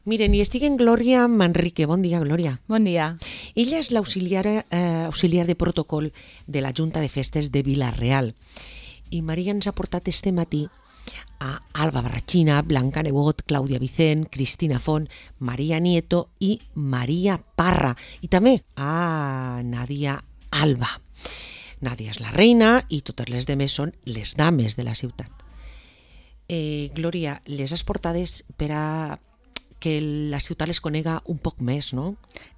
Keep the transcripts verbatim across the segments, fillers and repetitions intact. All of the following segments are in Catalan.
Miren, i estic en Glòria Manrique. Bon dia, Glòria. Bon dia. Ella és l'auxiliar eh, auxiliar de protocol de la Junta de Festes de Vila-real. I Maria ens ha portat este matí a Alba Barrachina, Blanca Nebot, Clàudia Vicent, Cristina Font, Maria Nieto i Maria Parra. I també a Nàdia Alba. Nàdia és la reina i totes les demés són les dames de la ciutat. Eh, Glòria, les has portades per a que la ciutat les conega un poc més, no?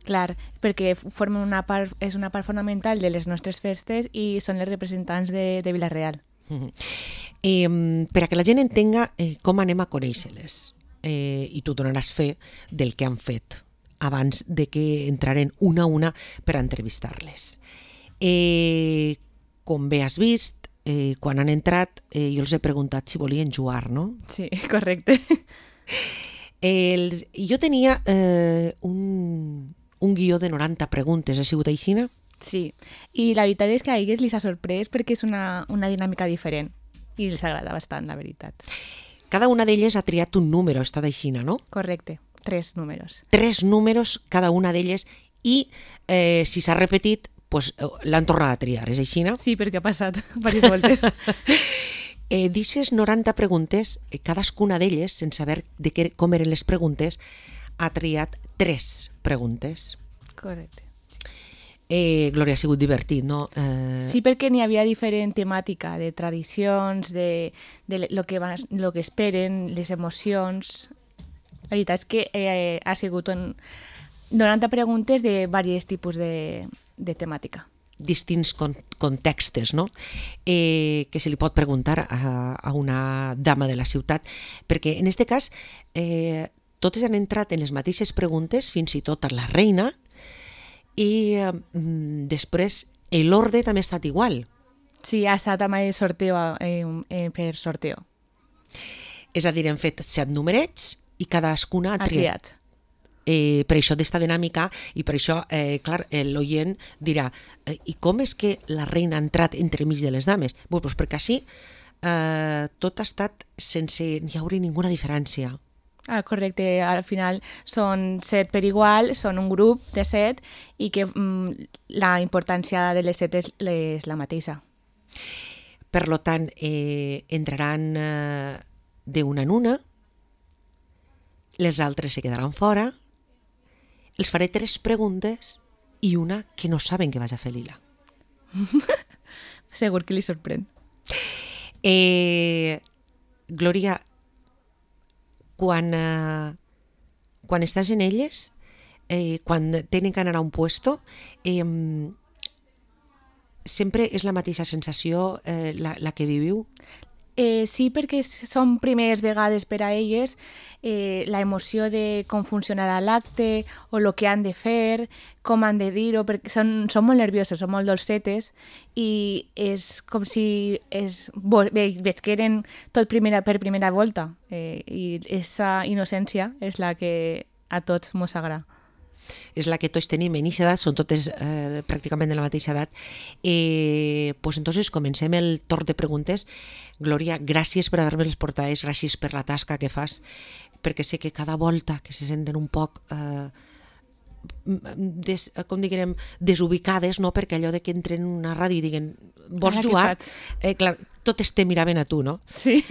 Clar, perquè formen una part, és una part fonamental de les nostres festes i són les representants de, de Vila-real. Uh-huh. Eh, per a que la gent entenga eh, com anem a conèixer-les, eh, i tu donaràs fe del que han fet abans de que entraren una a una per a entrevistar-les. Eh, com bé has vist, eh, quan han entrat, eh, jo els he preguntat si volien jugar, no? Sí, correcte. El, jo tenia eh, un, un guió de noranta preguntes, ha sigut així? Sí, i la veritat és que a elles les ha sorprès perquè és una, una dinàmica diferent i els agrada bastant, la veritat. Cada una d'elles ha triat un número, ha estat així, no? Correcte, tres números. Tres números cada una d'elles i eh, si s'ha repetit, pues, l'han tornat a triar, és així? Sí, perquè ha passat diverses voltes. Eh, D'ixes noranta preguntes, cadascuna d'elles, sense saber de què, com eren les preguntes, ha triat tres preguntes. Correcte. Eh, Glòria, ha sigut divertit, no? Eh... Sí, perquè n'hi havia diferent temàtica, de tradicions, de, de lo, que va, lo que esperen, les emocions. La veritat és que eh, ha sigut un noranta preguntes de diversos tipus de, de temàtica. Distints con contextes, no? Eh, que se li pot preguntar a, a una dama de la ciutat, perquè en aquest cas eh, totes han entrat en les mateixes preguntes, fins i tot a la reina, i eh, després l'ordre també ha estat igual. Sí, ha estat amb el sorteo, eh, eh, per sorteo. És a dir, hem fet set numerets i cadascuna ha Ha triat. triat. Eh, per això d'esta dinàmica i per això, eh, clar, eh, l'oient dirà eh, i com és que la reina ha entrat entremig de les dames? Bé, doncs perquè així eh, tot ha estat sense ni haure ninguna diferència. Ah, correcte, al final són set per igual, són un grup de set i que mm, la importància de les set és, és la mateixa. Per lo tant, eh, entraran eh, d'una en una, les altres se quedaran fora. Els faré tres preguntes i una que no saben que vaig a fer lila. Segur que li sorprèn. Eh, Glòria, quan, eh, quan estàs en elles, eh, quan tenen que anar a un puesto, eh, sempre és la mateixa sensació eh, la, la que viviu? Eh, sí, perquè són primeres vegades per a elles, eh, la emoció de com funcionarà l'acte o el que han de fer, com han de dir-ho, perquè són, són molt nervioses, són molt dolcetes i és com si es, veig, veig que eren tot primera, per primera volta eh, i aquesta innocència és la que a tots mos agrada. És la que tots tenim en aquesta edat, són totes eh, pràcticament de la mateixa edat. Eh, pues entonces comencem el torn de preguntes. Glòria, gràcies per haver-me les portades, gràcies per la tasca que fas, perquè sé que cada volta que se senten un poc eh, des, com diguem, desubicades, no? Perquè allò de que entren en una ràdio i diguen vols Ara, jugar? Eh, clar, totes te miraven a tu, no? Sí.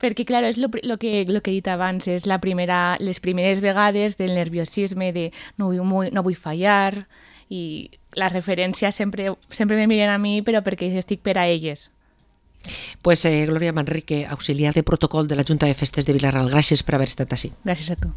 Perquè, clar, és el que, lo que he dit abans, és la primera, les primeres vegades del nerviosisme, de no vull, no vull fallar, i la referència sempre, sempre me miren a mi, però perquè estic per a elles. Pues eh, Glòria Manrique, auxiliar de protocol de la Junta de Festes de Vila-real, gràcies per haver estat així. Gràcies a tu.